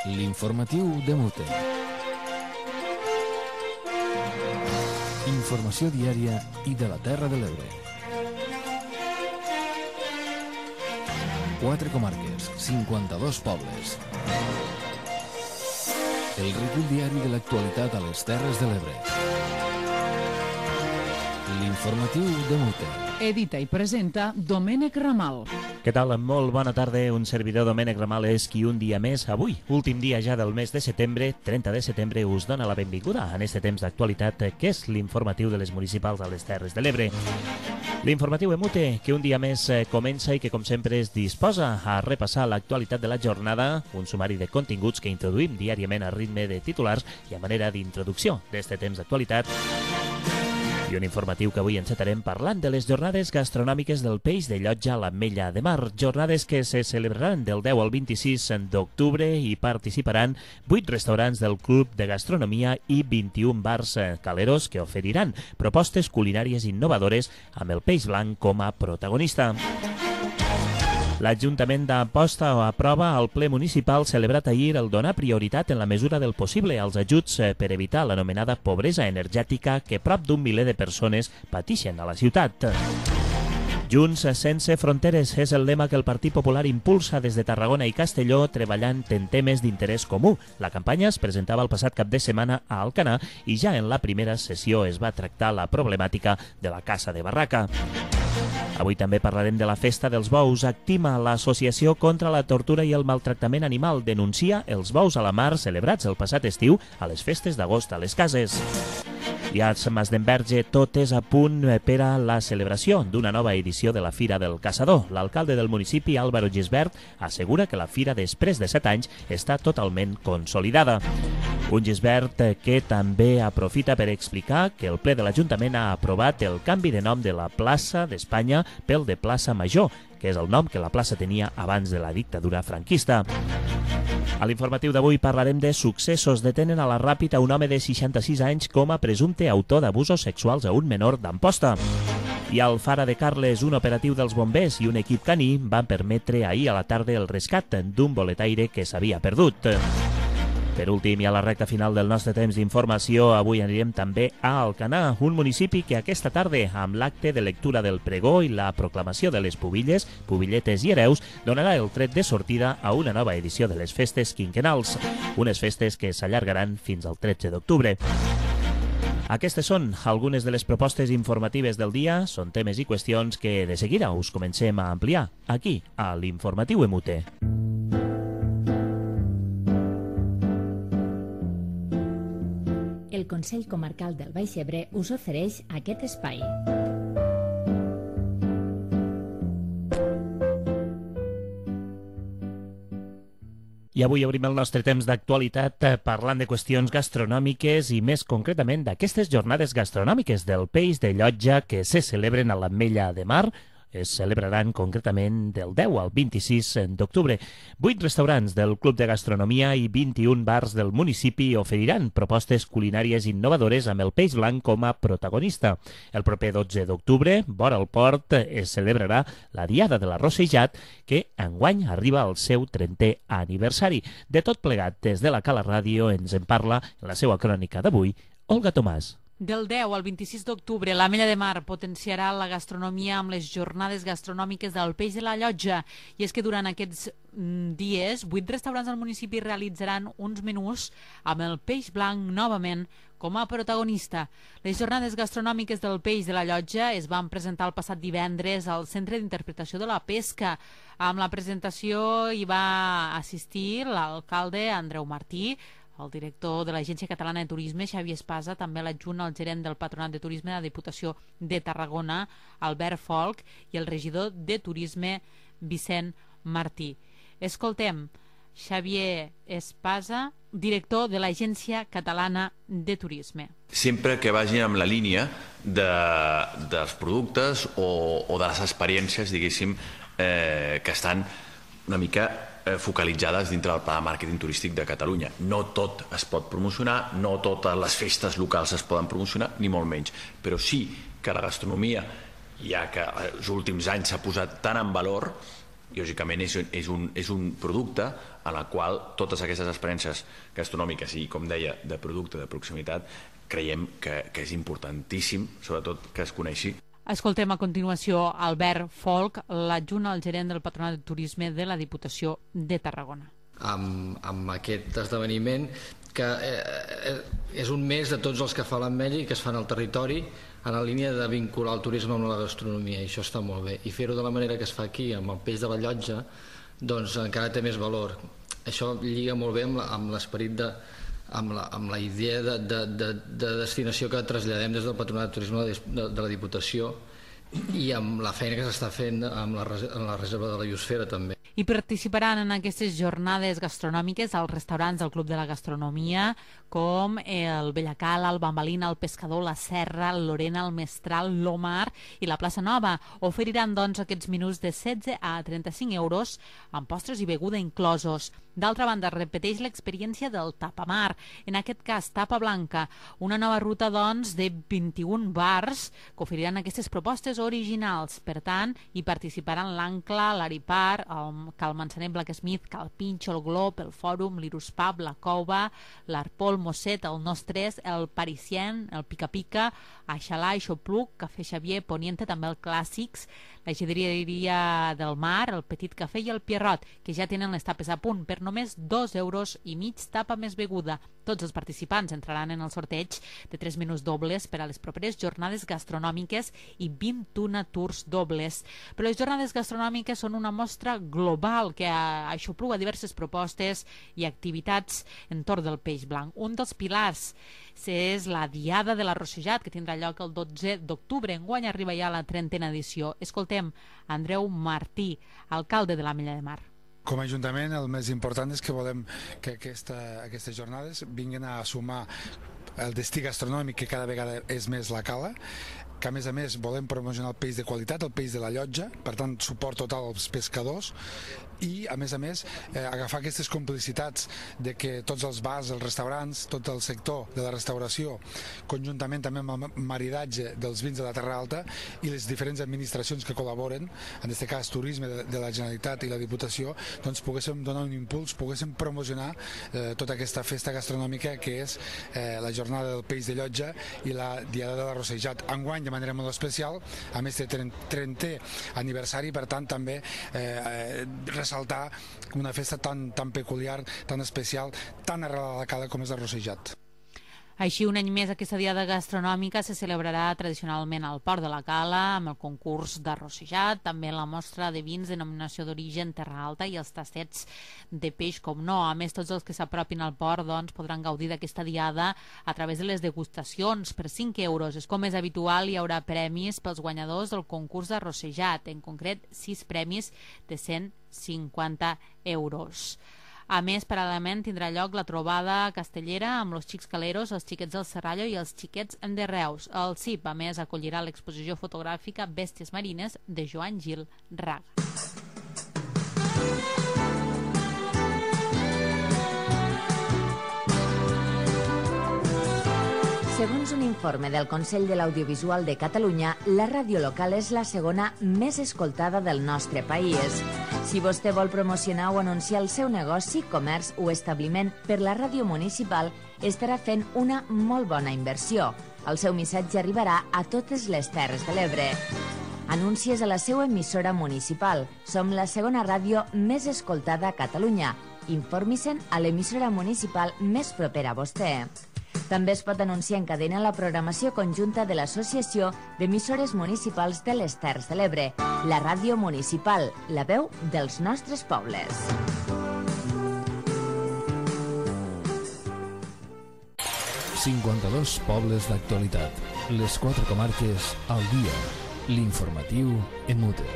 L'informatiu de Mute. Informació diària i de la Terra de l'Ebre. 4 comarques, 52 pobles. El recull diari de l'actualitat a les Terres de l'Ebre. L'informatiu de Mute. Edita i presenta Domènec Ramal. Què tal? Molt bona tarda. Un servidor, Domènec Ramal, és qui un dia més, avui, últim dia ja del mes de setembre, 30 de setembre, us dona la benvinguda en este temps d'actualitat que és l'informatiu de les municipals a les Terres de l'Ebre. L'informatiu Emute, que un dia més comença i que, com sempre, es disposa a repassar l'actualitat de la jornada, un sumari de continguts que introduïm diàriament a ritme de titulars i a manera d'introducció d'este temps d'actualitat. I un informatiu que avui encetarem parlant de les jornades gastronòmiques del peix de Llotja a l'Ametlla de Mar. Jornades que se celebraran del 10 al 26 d'octubre i participaran 8 restaurants del Club de Gastronomia i 21 bars caleros que oferiran propostes culinàries innovadores amb el peix blanc com a protagonista. L'Ajuntament d'Amposta aprova al ple municipal celebrat ahir el donar prioritat en la mesura del possible als ajuts per evitar l'anomenada pobresa energètica que prop d'un miler de persones pateixen a la ciutat. Junts sense fronteres és el lema que el Partit Popular impulsa des de Tarragona i Castelló treballant en temes d'interès comú. La campanya es presentava el passat cap de setmana a Alcanar i ja en la primera sessió es va tractar la problemàtica de la caça de barraca. Avui també parlarem de la Festa dels Bous. Actima, l'Associació contra la Tortura i el Maltractament Animal, denuncia els bous a la mar celebrats el passat estiu a les festes d'agost a les cases. I a Masdenverge tot és a punt per a la celebració d'una nova edició de la Fira del Caçador. L'alcalde del municipi, Álvaro Gisbert, assegura que la fira després de 7 anys està totalment consolidada. Un Gisbert que també aprofita per explicar que el ple de l'Ajuntament ha aprovat el canvi de nom de la plaça d'Espanya pel de Plaça Major, que és el nom que la plaça tenia abans de la dictadura franquista. A l'informatiu d'avui parlarem de successos. Detenen a la Ràpita un home de 66 anys com a presumpte autor d'abusos sexuals a un menor d'Amposta. I al Fara de Carles, un operatiu dels bombers i un equip caní van permetre ahir a la tarda el rescat d'un boletaire que s'havia perdut. Per últim, i a la recta final del nostre temps d'informació, avui anirem també a Alcanar, un municipi que aquesta tarda, amb l'acte de lectura del pregó i la proclamació de les pubilles, pubilletes i hereus, donarà el tret de sortida a una nova edició de les festes quinquennals, unes festes que s'allargaran fins al 13 d'octubre. Aquestes són algunes de les propostes informatives del dia, són temes i qüestions que de seguida us comencem a ampliar, aquí, a l'Informatiu Emute. El Consell Comarcal del Baix Ebre us ofereix aquest espai. I avui obrim el nostre temps d'actualitat parlant de qüestions gastronòmiques i més concretament d'aquestes jornades gastronòmiques del peix de Llotja que se celebren a l'Ametlla de Mar. Es celebraran concretament del 10 al 26 d'octubre. 8 restaurants del Club de Gastronomia i 21 bars del municipi oferiran propostes culinàries innovadores amb el peix blanc com a protagonista. El proper 12 d'octubre, vora el port, es celebrarà la Diada de l'Arrossejat, que enguany arriba al seu 30è aniversari. De tot plegat, des de la Cala Ràdio ens en parla en la seva crònica d'avui, Olga Tomàs. Del 10 al 26 d'octubre, l'Ametlla de Mar potenciarà la gastronomia amb les jornades gastronòmiques del peix de la Llotja. I és que durant aquests dies, 8 restaurants del municipi realitzaran uns menús amb el peix blanc novament com a protagonista. Les jornades gastronòmiques del peix de la Llotja es van presentar el passat divendres al Centre d'Interpretació de la Pesca. Amb la presentació hi va assistir l'alcalde Andreu Martí, el director de l'Agència Catalana de Turisme, Xavier Espasa, també l'adjunt al gerent del Patronat de Turisme de la Diputació de Tarragona, Albert Folch, i el regidor de Turisme, Vicent Martí. Escoltem Xavier Espasa, director de l'Agència Catalana de Turisme. Sempre que vagin amb la línia dels productes o de les experiències, diguéssim, que estan una mica focalitzades dintre del pla de màrqueting turístic de Catalunya. No tot es pot promocionar, no totes les festes locals es poden promocionar, ni molt menys, però sí que la gastronomia, ja que els últims anys s'ha posat tant en valor, lògicament és un producte en el qual totes aquestes experiències gastronòmiques i, com deia, de producte de proximitat, creiem que és importantíssim, sobretot que es coneixi. Escoltem a continuació Albert Folch, l'adjunt al gerent del Patronat de Turisme de la Diputació de Tarragona. Amb aquest esdeveniment, que és un mes de tots els que fa l'Ametlla i que es fan al territori en la línia de vincular el turisme amb la gastronomia, i això està molt bé. I fer-ho de la manera que es fa aquí, amb el peix de la Llotja, doncs encara té més valor. Això lliga molt bé amb l'esperit amb la idea de destinació que traslladem des del Patronat de Turisme de la Diputació i amb la feina que s'està fent amb la reserva de la biosfera també. I participaran en aquestes jornades gastronòmiques als restaurants del Club de la Gastronomia com el Bellacala, el Bambalina, el Pescador, la Serra, el Lorena, el Mestral, l'Omar i la Plaça Nova. Oferiran doncs aquests menús de 16 a 35 euros amb postres i beguda inclosos. D'altra banda, repeteix l'experiència del Tapamar, en aquest cas Tapa Blanca, una nova ruta doncs de 21 bars que oferiran aquestes propostes originals. Per tant, hi participaran l'Ancla, l'Aripar, el Cal Manzaner, Blacksmith, Cal Pinxo, el Glob, el Fòrum, l'Irus Pub, la Cova, l'Arpol, Mosset, el Nostres, el Parisien, el Pica Pica, Aixalà, Aixopluc, Cafè Xavier, Poniente, també el Clàssics, la Gedereria del Mar, el Petit Cafè i el Pierrot, que ja tenen les tapes a punt per només 2 euros i mig tapa més beguda. Tots els participants entraran en el sorteig de 3 menús dobles per a les properes jornades gastronòmiques i 21 tours dobles. Però les jornades gastronòmiques són una mostra global que aixopluga diverses propostes i activitats entorn del peix blanc. Un dels pilars és la Diada de l'Arrossejat, que tindrà lloc el 12 d'octubre. Enguany arriba ja la 30a edició. Escoltem Andreu Martí, alcalde de l'Ametlla de Mar. Com a Ajuntament, el més important és que volem que aquestes jornades vinguin a sumar el destí gastronòmic, que cada vegada és més la Cala, que a més volem promocionar el peix de qualitat, el peix de la Llotja, per tant suport total als pescadors, i a més agafar aquestes complicitats de que tots els bars, els restaurants, tot el sector de la restauració, conjuntament també amb el maridatge dels vins de la Terra Alta i les diferents administracions que col·laboren, en aquest cas Turisme de la Generalitat i la Diputació, doncs poguéssim donar un impuls, poguéssim promocionar tota aquesta festa gastronòmica que és la jornada del peix de Llotja i la Diada de l'Arrossejat. Enguany, de manera molt especial, a més de 30è aniversari, per tant també ressaltar una festa tan peculiar, tan especial, tan arrelada a la Cala com és l'Arrossejat. Així, un any més, aquesta diada gastronòmica se celebrarà tradicionalment al Port de la Cala, amb el concurs d'arrossejat, també la mostra de vins denominació d'origen Terra Alta i els tastets de peix, com no. A més, tots els que s'apropin al port podran gaudir d'aquesta diada a través de les degustacions per 5 euros. És com és habitual, hi haurà premis pels guanyadors del concurs d'arrossejat, en concret 6 premis de 150 euros. A més, paral·lelament tindrà lloc la trobada castellera amb els xics caleros, els xiquets del Serrallo i els xiquets de Reus. El CIP, a més, acollirà l'exposició fotogràfica Bèsties Marines de Joan Gil Raga. Segons un informe del Consell de l'Audiovisual de Catalunya, la ràdio local és la segona més escoltada del nostre país. Si vostè vol promocionar o anunciar el seu negoci, comerç o establiment per la ràdio municipal, estarà fent una molt bona inversió. El seu missatge arribarà a totes les Terres de l'Ebre. Anuncies a la seva emissora municipal. Som la segona ràdio més escoltada a Catalunya. Informi-se'n a l'emissora municipal més propera a vostè. També es pot anunciar en cadena la programació conjunta de l'Associació d'Emissores Municipals de les Terres de l'Ebre, la ràdio municipal, la veu dels nostres pobles. «52 pobles d'actualitat. Les 4 comarques al dia. L'informatiu en mute».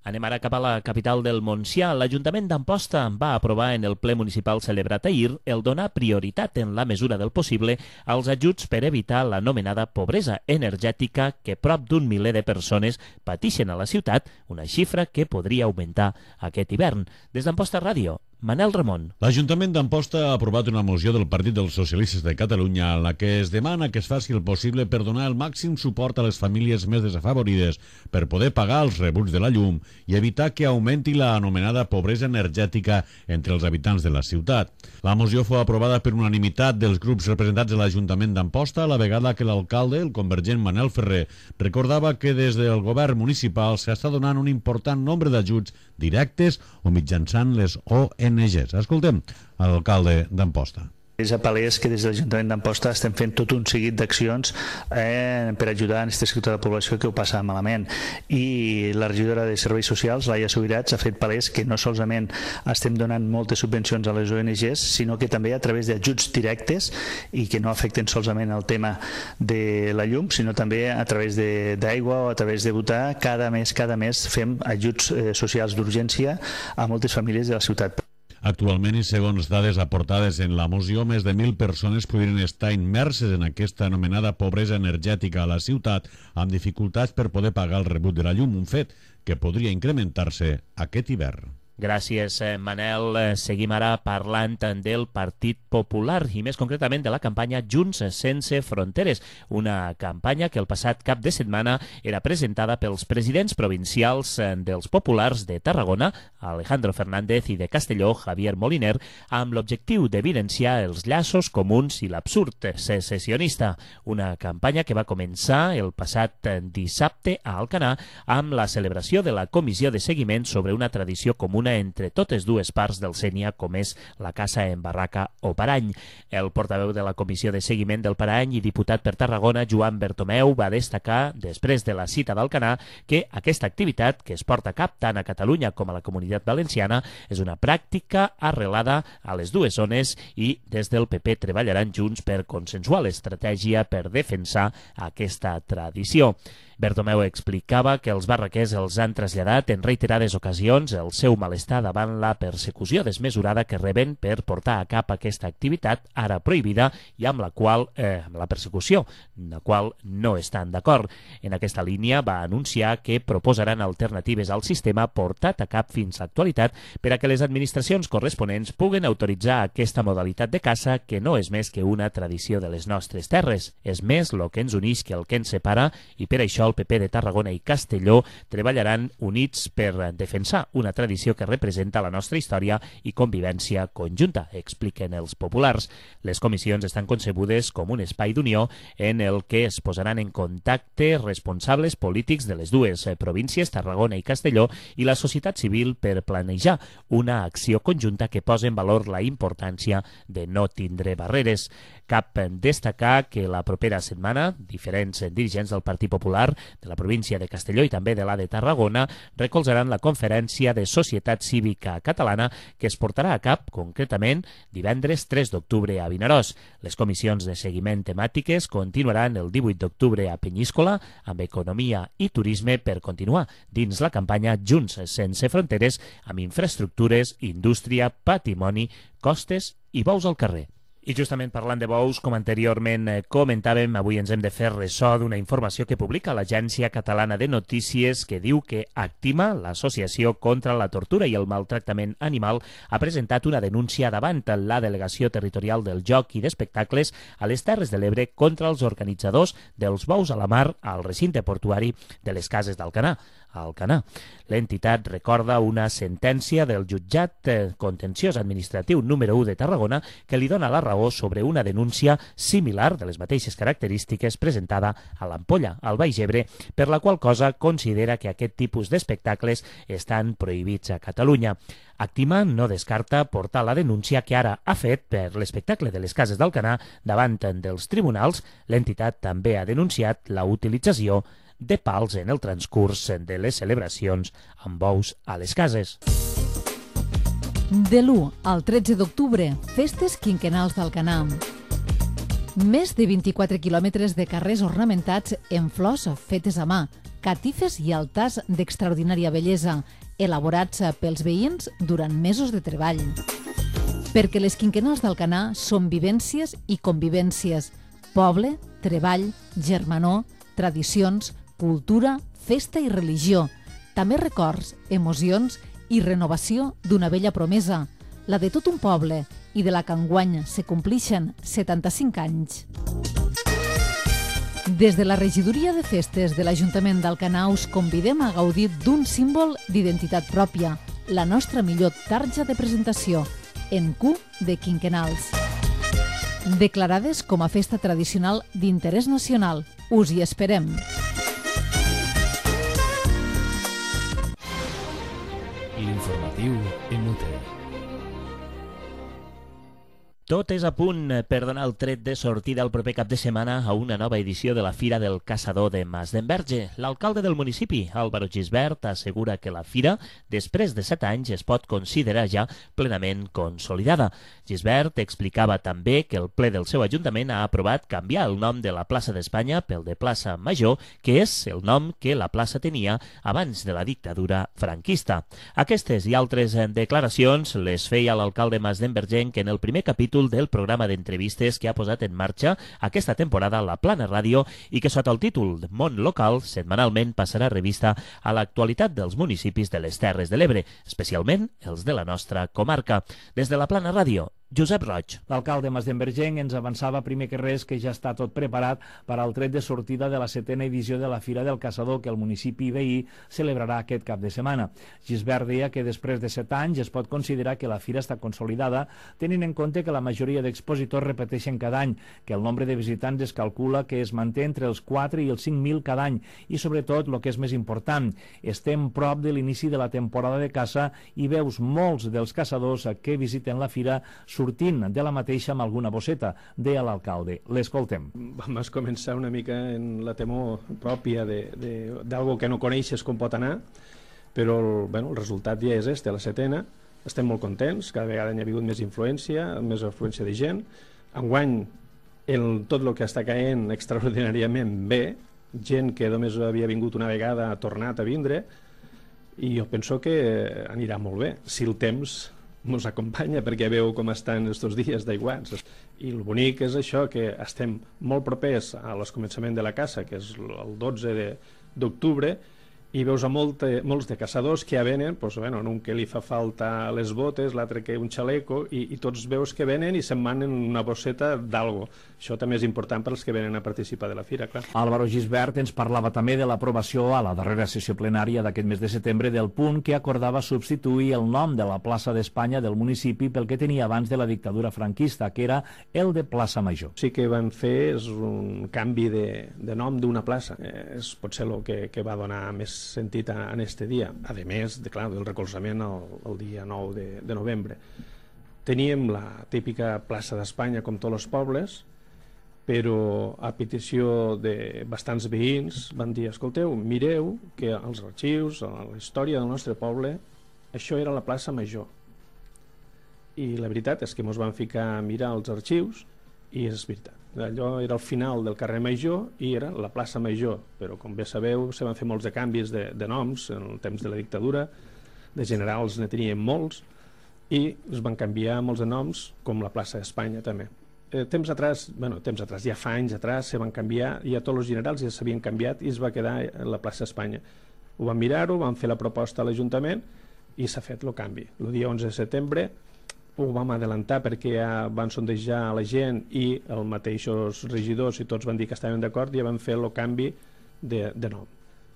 Anem ara cap a la capital del Montsià. L'Ajuntament d'Amposta va aprovar en el ple municipal celebrat ahir el donar prioritat en la mesura del possible als ajuts per evitar l'anomenada pobresa energètica que prop d'un miler de persones patixen a la ciutat, una xifra que podria augmentar aquest hivern. Des d'Amposta Ràdio, Manel Ramon. L'Ajuntament d'Amposta ha aprovat una moció del Partit dels Socialistes de Catalunya en la que es demana que es faci el possible per donar el màxim suport a les famílies més desafavorides per poder pagar els rebuts de la llum i evitar que augmenti la anomenada pobresa energètica entre els habitants de la ciutat. La moció fou aprovada per unanimitat dels grups representats a l'Ajuntament d'Amposta a la vegada que l'alcalde, el convergent Manel Ferrer, recordava que des del govern municipal s'està donant un important nombre d'ajuts directes o mitjançant les ONGs. Escoltem l'alcalde d'Amposta. És a palès que des de l'Ajuntament d'Amposta estem fent tot un seguit d'accions per ajudar en aquest sector de població que ho passa malament. I la regidora de Serveis Socials, Laia Subirats, ha fet palès que no solament estem donant moltes subvencions a les ONGs, sinó que també a través d'ajuts directes i que no afecten solament el tema de la llum, sinó també a través d'aigua o a través de votar. Cada mes fem ajuts socials d'urgència a moltes famílies de la ciutat. Actualment, i segons dades aportades en la moció, més de 1.000 persones podrien estar immerses en aquesta anomenada pobresa energètica a la ciutat amb dificultats per poder pagar el rebut de la llum, un fet que podria incrementar-se aquest hivern. Gràcies, Manel. Seguim ara parlant del Partit Popular i més concretament de la campanya Junts sense fronteres, una campanya que el passat cap de setmana era presentada pels presidents provincials dels populars de Tarragona, Alejandro Fernández, i de Castelló, Javier Moliner, amb l'objectiu d'evidenciar els llaços comuns i l'absurd secessionista. Una campanya que va començar el passat dissabte a Alcanar amb la celebració de la comissió de seguiment sobre una tradició comuna entre totes dues parts del Sénia, com és la caça en barraca o parany. El portaveu de la comissió de seguiment del parany i diputat per Tarragona, Joan Bertomeu, va destacar, després de la cita d'Alcanar, que aquesta activitat, que es porta a cap tant a Catalunya com a la Comunitat Valenciana, és una pràctica arrelada a les dues zones i des del PP treballaran junts per consensuar l'estratègia per defensar aquesta tradició. Bertomeu explicava que els barraquers els han traslladat en reiterades ocasions el seu malestar davant la persecució desmesurada que reben per portar a cap aquesta activitat ara prohibida i amb la qual la persecució, amb la qual no estan d'acord. En aquesta línia va anunciar que proposaran alternatives al sistema portat a cap fins a l'actualitat per a que les administracions corresponents puguen autoritzar aquesta modalitat de caça que no és més que una tradició de les nostres terres. És més el que ens uneix que el que ens separa i per això el PP de Tarragona i Castelló treballaran units per defensar una tradició que representa la nostra història i convivència conjunta, expliquen els populars. Les comissions estan concebudes com un espai d'unió en el que es posaran en contacte responsables polítics de les dues províncies, Tarragona i Castelló, i la societat civil per planejar una acció conjunta que posi en valor la importància de no tindre barreres. Cap destacar que la propera setmana diferents dirigents del Partit Popular de la província de Castelló i també de la de Tarragona recolzaran la conferència de Societat Cívica Catalana que es portarà a cap concretament divendres 3 d'octubre a Vinaròs. Les comissions de seguiment temàtiques continuaran el 18 d'octubre a Penyíscola amb economia i turisme per continuar dins la campanya Junts sense fronteres amb infraestructures, indústria, patrimoni, costes i bous al carrer. I justament parlant de bous, com anteriorment comentàvem, avui ens hem de fer ressò d'una informació que publica l'Agència Catalana de Notícies que diu que Actima, l'Associació contra la Tortura i el Maltractament Animal, ha presentat una denúncia davant la Delegació Territorial del Joc i d'Espectacles a les Terres de l'Ebre contra els organitzadors dels bous a la mar al recinte portuari de les Cases d'Alcanar. L'entitat recorda una sentència del jutjat contenciós administratiu número 1 de Tarragona que li dona la raó sobre una denúncia similar de les mateixes característiques presentada a l'Ampolla, al Baix Ebre, per la qual cosa considera que aquest tipus d'espectacles estan prohibits a Catalunya. Actima no descarta portar la denúncia que ara ha fet per l'espectacle de les Cases d'Alcanar davant dels tribunals. L'entitat també ha denunciat la utilització de pals en el transcurs de les celebracions amb bous a les cases. De l'1 al 13 d'octubre, festes quinquennals d'Alcanar. Més de 24 quilòmetres de carrers ornamentats en flors fetes a mà, catifes i altars d'extraordinària bellesa, elaborats pels veïns durant mesos de treball. Perquè les quinquennals d'Alcanar són vivències i convivències, poble, treball, germanor, tradicions, cultura, festa i religió, també records, emocions i renovació d'una vella promesa, la de tot un poble i de la que enguany se complixen 75 anys. Des de la regidoria de festes de l'Ajuntament d'Alcanar us convidem a gaudir d'un símbol d'identitat pròpia, la nostra millor tarja de presentació, en Q de Quinquenals. Declarades com a festa tradicional d'interès nacional. Us hi esperem. L'informatiu en UTE. Tot és a punt per donar el tret de sortida el proper cap de setmana a una nova edició de la Fira del Caçador de Mas d'Enverge. L'alcalde del municipi, Álvaro Gisbert, assegura que la fira, després de 7 anys, es pot considerar ja plenament consolidada. Gisbert explicava també que el ple del seu ajuntament ha aprovat canviar el nom de la plaça d'Espanya pel de plaça Major, que és el nom que la plaça tenia abans de la dictadura franquista. Aquestes i altres declaracions les feia l'alcalde Mas d'Envergenc en el primer capítol del programa d'entrevistes que ha posat en marxa aquesta temporada la Plana Ràdio i que sota el títol Món Local setmanalment passarà revista a l'actualitat dels municipis de les Terres de l'Ebre, especialment els de la nostra comarca. Des de la Plana Ràdio, Josep Roig. L'alcalde Mas d'Envergenc ens avançava primer que res que ja està tot preparat per al tret de sortida de la 7a edició de la Fira del Caçador que el municipi veí celebrarà aquest cap de setmana. Gisbert deia que després de 7 anys es pot considerar que la fira està consolidada, tenint en compte que la majoria d'expositors repeteixen cada any, que el nombre de visitants es calcula que es manté entre els 4 i els 5.000 cada any i, sobretot, el que és més important, estem prop de l'inici de la temporada de caça i veus molts dels caçadors que visiten la fira sortint de la mateixa amb alguna bosseta, deia l'alcalde. L'escoltem. Vam començar una mica en la temor pròpia d'algo que no coneixes com pot anar, però el resultat ja és la 7a. Estem molt contents, cada vegada hi ha hagut més influència de gent. Enguany, tot el que està caient extraordinàriament bé, gent que només havia vingut una vegada ha tornat a vindre, i jo penso que anirà molt bé, si el temps ens acompanya, perquè veu com estan aquests dies d'aiguats. I el bonic és això, que estem molt propers a l'escomençament de la caça, que és el 12 d'octubre, i veus a molts de caçadors que ja venen, en un que li fa falta les botes, l'altre que un xaleco, i tots veus que venen i se'n van en una bosseta d'algo. Això també és important per als que venen a participar de la fira, clar. Álvaro Gisbert ens parlava també de l'aprovació a la darrera sessió plenària d'aquest mes de setembre del punt que acordava substituir el nom de la plaça d'Espanya del municipi pel que tenia abans de la dictadura franquista, que era el de plaça Major. Sí que van fer un canvi de nom d'una plaça. És potser el que va donar més sentit en este dia, a més del recolzament el dia 9 de novembre. Teníem la típica plaça d'Espanya com tots els pobles, però a petició de bastants veïns van dir, escolteu, mireu que als arxius, a la història del nostre poble, això era la plaça Major. I la veritat és que ens van ficar a mirar els arxius i és veritat. Allò era el final del carrer Major i era la plaça Major, però com bé sabeu se van fer molts de canvis de noms en el temps de la dictadura, de generals ne tenien molts i es van canviar molts de noms com la plaça d'Espanya també. Temps atrás, ja fa anys atrás se van canviar i a tots els generals ja s'havien canviat i es va quedar la plaça d'Espanya. Ho van mirar-ho, van fer la proposta a l'Ajuntament i s'ha fet el canvi. El dia 11 de setembre ho vam adelantar perquè ja van sondejar la gent i els mateixos regidors i tots van dir que estaven d'acord i ja van fer el canvi de nom.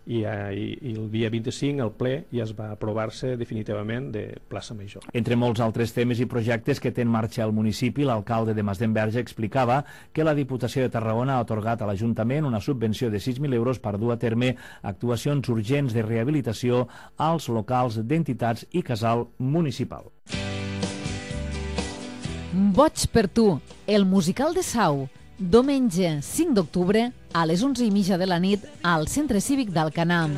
I el dia 25 el ple ja es va aprovar-se definitivament de plaça Major. Entre molts altres temes i projectes que té en marxa el municipi, l'alcalde de Mas d'Enverge explicava que la Diputació de Tarragona ha atorgat a l'Ajuntament una subvenció de 6.000 euros per dur a terme actuacions urgents de rehabilitació als locals d'entitats i casal municipal. Boig per tu, el musical de Sau, diumenge 5 d'octubre a les 11:30 de la nit al Centre Cívic d'Alcanar.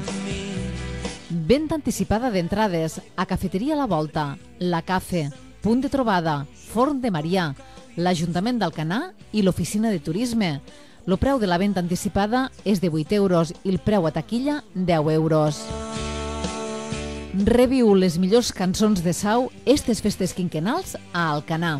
Venda anticipada d'entrades a Cafeteria La Volta, La Cafe, Punt de Trobada, Forn de Marià, l'Ajuntament d'Alcanar i l'Oficina de Turisme. El preu de la venda anticipada és de 8 euros i el preu a taquilla 10 euros. Reviu les millors cançons de Sau estes festes quinquenals a Alcanar.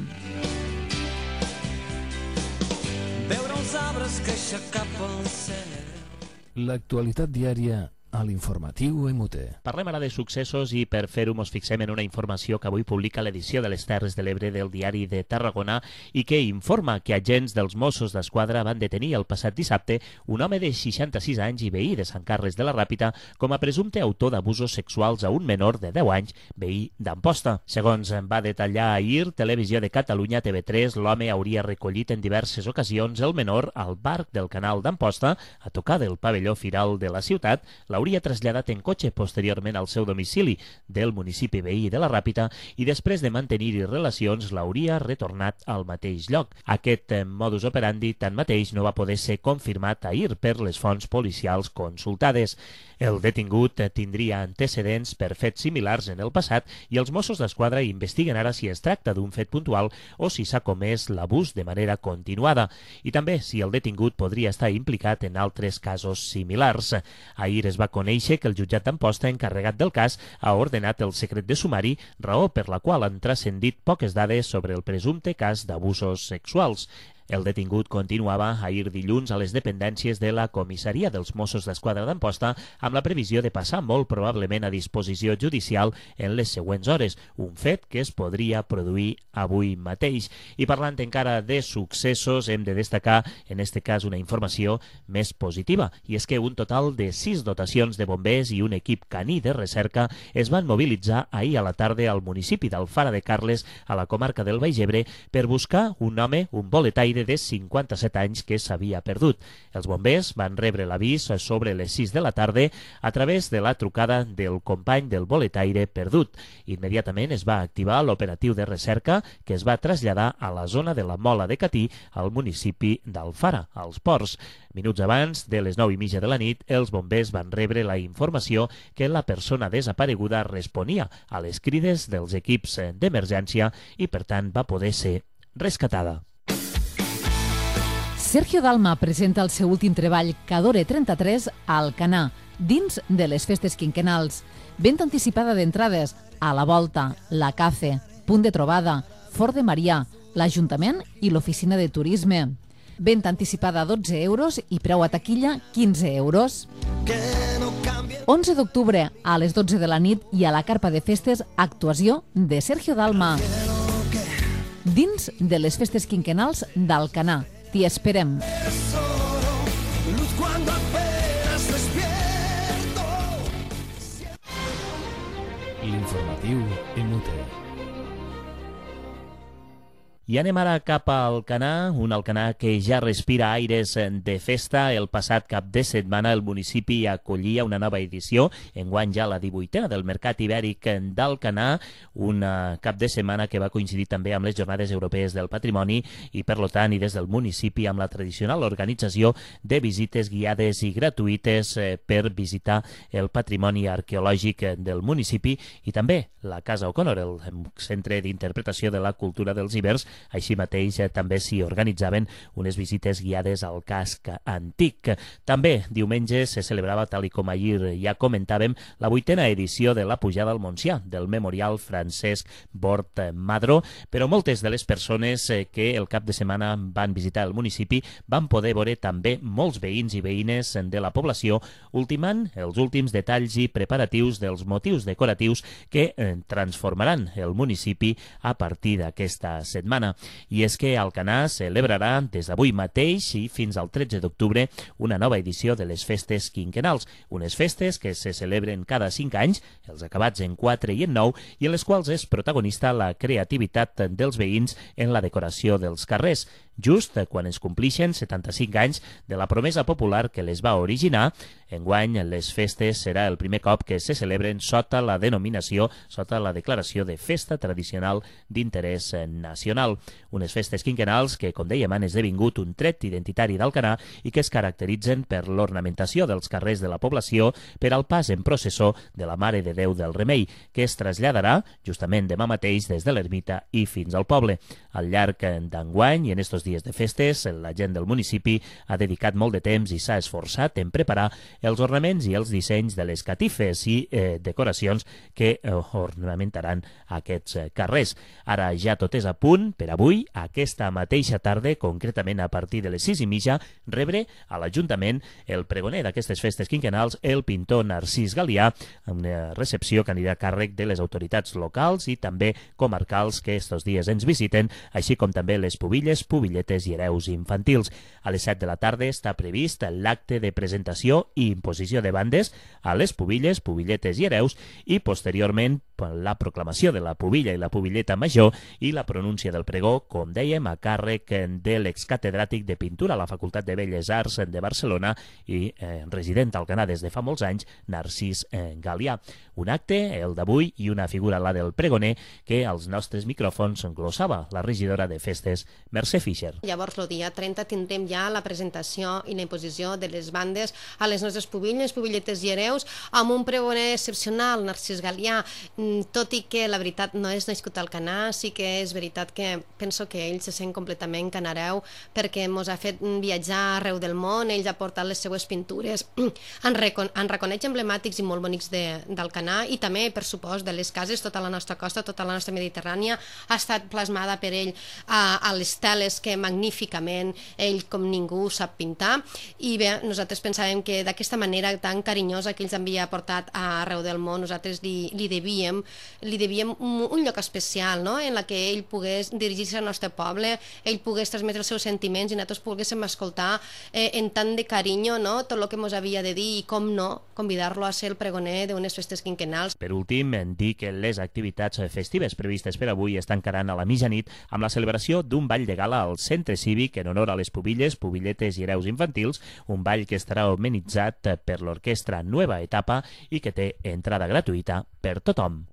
L'actualitat diària a l'informatiu EMUTE. Parlem ara de successos i per fer-ho ens fixem en una informació que avui publica l'edició de les Terres de l'Ebre del Diari de Tarragona i que informa que agents dels Mossos d'Esquadra van detenir el passat dissabte un home de 66 anys i veí de Sant Carles de la Ràpita com a presumpte autor d'abusos sexuals a un menor de 10 anys, veí d'Amposta. Segons va detallar ahir Televisió de Catalunya TV3, l'home hauria recollit en diverses ocasions el menor al bar del Canal d'Amposta, a tocar del pavelló firal de la ciutat, l'hauria traslladat en cotxe posteriorment al seu domicili del municipi veí de la Ràpita i després de mantenir-hi relacions l'hauria retornat al mateix lloc. Aquest modus operandi tanmateix no va poder ser confirmat ahir per les fonts policials consultades. El detingut tindria antecedents per fets similars en el passat i els Mossos d'Esquadra investiguen ara si es tracta d'un fet puntual o si s'ha comès l'abús de manera continuada i també si el detingut podria estar implicat en altres casos similars. Ahir es va conèixer que el jutjat d'Amposta encarregat del cas ha ordenat el secret de sumari, raó per la qual han transcendit poques dades sobre el presumpte cas d'abusos sexuals. El detingut continuava ahir dilluns a les dependències de la comissaria dels Mossos d'Esquadra d'Amposta amb la previsió de passar molt probablement a disposició judicial en les següents hores, un fet que es podria produir avui mateix. I parlant encara de successos, hem de destacar en este cas una informació més positiva, i és que un total de 6 dotacions de bombers i un equip caní de recerca es van mobilitzar ahir a la tarda al municipi d'Alfara de Carles, a la comarca del Baix Ebre, per buscar un home, un boletaire de 57 anys que s'havia perdut. Els bombers van rebre l'avís sobre les 6 de la tarda a través de la trucada del company del boletaire perdut. Immediatament es va activar l'operatiu de recerca que es va traslladar a la zona de la Mola de Catí, al municipi d'Alfara, als Ports. Minuts abans de les 9:30 de la nit, els bombers van rebre la informació que la persona desapareguda responia a les crides dels equips d'emergència i, per tant, va poder ser rescatada. Sergio Dalma presenta el seu últim treball, Cadore 33, a Alcanar, dins de les festes quinquenals. Venda anticipada d'entrades a la Volta, la Cafe, Punt de Trobada, Fort de Marià, l'Ajuntament i l'Oficina de Turisme. Venda anticipada a 12 euros i preu a taquilla 15 euros. 11 d'octubre a les 12 de la nit i a la carpa de festes, actuació de Sergio Dalma. Dins de les festes quinquenals d'Alcanar. T'hi esperem. L'informatiu EMUTE. I anem ara cap a Alcanar, un Alcanar que ja respira aires de festa. El passat cap de setmana el municipi acollia una nova edició, enguany ja la 18a del Mercat Ibèric d'Alcanar, un cap de setmana que va coincidir també amb les Jornades Europees del Patrimoni i, per tant, i des del municipi amb la tradicional organització de visites guiades i gratuïtes per visitar el patrimoni arqueològic del municipi i també la Casa O'Connor, el centre d'interpretació de la cultura dels ibers. Així mateix també s'hi organitzaven unes visites guiades al casc antic. També diumenge se celebrava, tal i com ahir ja comentàvem, la 8a edició de la Pujada al Montsià, del Memorial Francesc Bort Madró, però moltes de les persones que el cap de setmana van visitar el municipi van poder veure també molts veïns i veïnes de la població ultimant els últims detalls i preparatius dels motius decoratius que transformaran el municipi a partir d'aquesta setmana. I és que Alcanar celebrarà des d'avui mateix i fins al 13 d'octubre una nova edició de les festes quinquenals, unes festes que se celebren cada 5 anys, els acabats en 4 i en 9, i en les quals és protagonista la creativitat dels veïns en la decoració dels carrers. Just quan es complixen 75 anys de la promesa popular que les va originar, enguany les festes serà el primer cop que se celebren sota la denominació, sota la declaració de Festa Tradicional d'Interès Nacional. Unes festes quinquenals que, com dèiem, han esdevingut un tret identitari d'Alcanar i que es caracteritzen per l'ornamentació dels carrers de la població per al pas en processó de la Mare de Déu del Remei, que es traslladarà justament demà mateix des de l'ermita i fins al poble. Al llarg d'enguany i en estos estos dies de festes, la gent del municipi ha dedicat molt de temps i s'ha esforçat en preparar els ornaments i els dissenys de les catifes i decoracions que ornamentaran aquests carrers. Ara ja tot és a punt per avui, aquesta mateixa tarda, concretament a partir de les 6:30, rebre a l'Ajuntament el pregoner d'aquestes festes quinquennals, el pintor Narcís Galià, amb una recepció que anirà a càrrec de les autoritats locals i també comarcals que estos dies ens visiten, així com també les pubilles, pubilletes i hereus infantils. A les 7 de la tarda està previst l'acte de presentació i imposició de bandes a les pubilles, pubilletes i hereus i posteriorment la proclamació de la pubilla i la pubilleta major i la pronúncia del pregó, com dèiem, a càrrec de l'excatedràtic de pintura a la Facultat de Belles Arts de Barcelona i resident al Canà des de fa molts anys, Narcís Galià. Un acte, el d'avui, i una figura, la del pregoner, que als nostres micròfons glossava la regidora de festes, Mercè Fischer. Llavors, el dia 30 tindrem ja la presentació i la imposició de les bandes a les nostres pubilles, pubilletes i hereus, amb un pregoner excepcional, Narcís Galià. Tot i que la veritat no és nascut al Canà, sí que és veritat que penso que ell se sent completament canareu perquè ens ha fet viatjar arreu del món, ell ha portat les seues pintures en reconeix emblemàtics i molt bonics del Canà i també, per supost, de les cases, tota la nostra costa, tota la nostra Mediterrània ha estat plasmada per ell a les teles que magníficament ell com ningú sap pintar i bé, nosaltres pensàvem que d'aquesta manera tan carinyosa que ells havia portat arreu del món, nosaltres li devíem un lloc especial, no? En la que ell pogués dirigir-se al nostre poble, ell pogués transmetre els seus sentiments i nosaltres poguéssim escoltar en tant de carinyo, no? Tot el que ens havia de dir i com no, convidar-lo a ser el pregoner d'unes festes quinquennals. Per últim, dir que les activitats festives previstes per avui estan encarant a la mitjanit amb la celebració d'un ball de gala al Centre Cívic en honor a les pubilles, pubilletes i hereus infantils, un ball que estarà organitzat per l'orquestra Nueva Etapa i que té entrada gratuïta per tothom.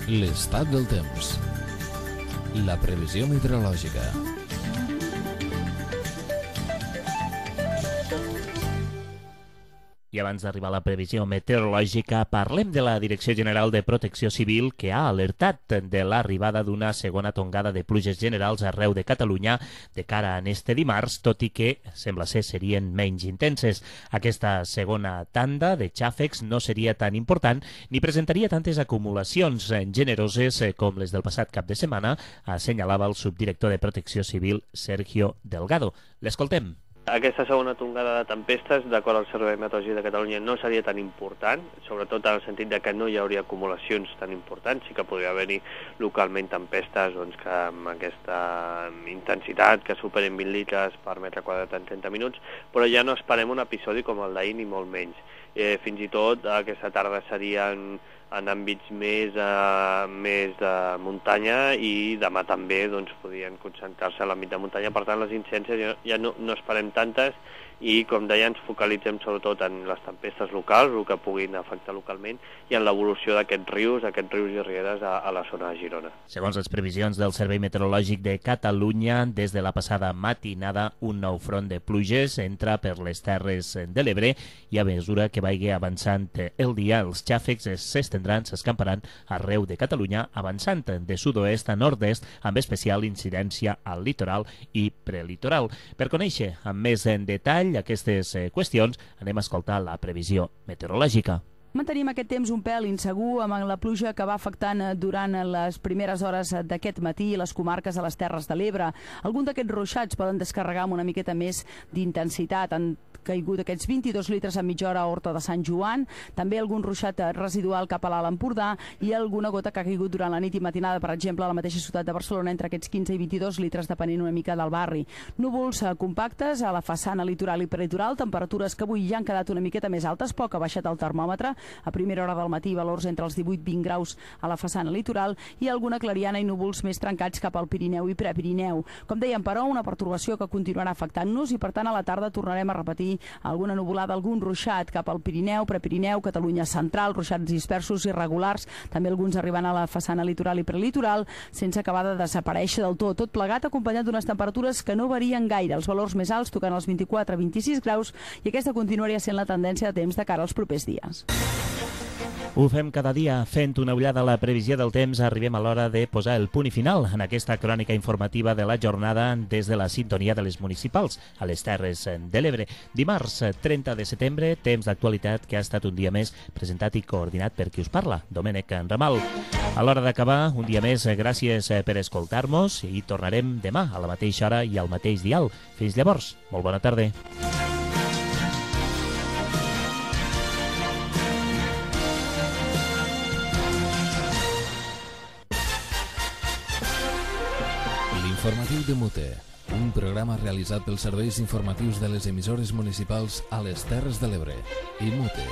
L'estat del temps. La previsió meteorològica. I abans d'arribar a la previsió meteorològica, parlem de la Direcció General de Protecció Civil, que ha alertat de l'arribada d'una segona tongada de pluges generals arreu de Catalunya de cara a este dimarts, tot i que sembla ser serien menys intenses. Aquesta segona tanda de xàfecs no seria tan important ni presentaria tantes acumulacions generoses com les del passat cap de setmana, assenyalava el subdirector de Protecció Civil, Sergio Delgado. L'escoltem. Aquesta segona tongada de tempestes, d'acord al Servei Meteorològic de Catalunya, no seria tan important, sobretot en el sentit de que no hi hauria acumulacions tan importants. Sí que podria haver-hi localment tempestes que amb aquesta intensitat que superen 20 litres per metre quadrat en 30 minuts, però ja no esperem un episodi com el d'ahir ni molt menys. Fins i tot aquesta tarda serien en àmbits més de muntanya i demà també podrien concentrar-se a l'àmbit de muntanya. Per tant, les incidències ja no esperem tantes i, com deia, ens focalitzem sobretot en les tempestes locals, el que puguin afectar localment, i en l'evolució d'aquests rius i rieres a la zona de Girona. Segons les previsions del Servei Meteorològic de Catalunya, des de la passada matinada, un nou front de pluges entra per les Terres de l'Ebre i a mesura que vagi avançant el dia, els xàfecs s'estendran, s'escamparan arreu de Catalunya, avançant de sud-oest a nord-est, amb especial incidència al litoral i prelitoral. Per conèixer amb més en detall aquestes qüestions, anem a escoltar la previsió meteorològica. Mantenim aquest temps un pèl insegur amb la pluja que va afectant durant les primeres hores d'aquest matí les comarques de les Terres de l'Ebre. Alguns d'aquests ruixats poden descarregar amb una miqueta més d'intensitat. Han caigut aquests 22 litres a mitja hora a Horta de Sant Joan, també algun ruixat residual cap a l'Alt Empordà i alguna gota que ha caigut durant la nit i matinada, per exemple, a la mateixa ciutat de Barcelona, entre aquests 15 i 22 litres, depenent una mica del barri. Núvols compactes a la façana litoral i prelitoral, temperatures que avui ja han quedat una miqueta més altes, poc ha baixat el termòmetre. A primera hora del matí, valors entre els 18 i 20 graus a la façana litoral i alguna clariana i núvols més trencats cap al Pirineu i Prepirineu. Com dèiem, però, una pertorbació que continuarà afectant-nos i, per tant, a la tarda tornarem a repetir alguna nuvolada, algun ruixat cap al Pirineu, Prepirineu, Catalunya central, ruixats dispersos irregulars, també alguns arribant a la façana litoral i prelitoral, sense acabar de desaparèixer del tot. Tot plegat acompanyat d'unes temperatures que no varien gaire, els valors més alts tocant els 24-26 graus i aquesta continuaria sent la tendència de temps de cara als propers dies. Ho fem cada dia fent una ullada a la previsió del temps. Arribem a l'hora de posar el punt i final en aquesta crònica informativa de la jornada des de la sintonia de les municipals a les Terres de l'Ebre. Dimarts 30 de setembre, temps d'actualitat que ha estat un dia més presentat i coordinat per qui us parla, Domènec Ramal. A l'hora d'acabar, un dia més, gràcies per escoltar-nos i tornarem demà a la mateixa hora i al mateix dial. Fins llavors, molt bona tarda. L'informatiu de Mute, un programa realitzat pels serveis informatius de les emissores municipals a les Terres de l'Ebre i Mute.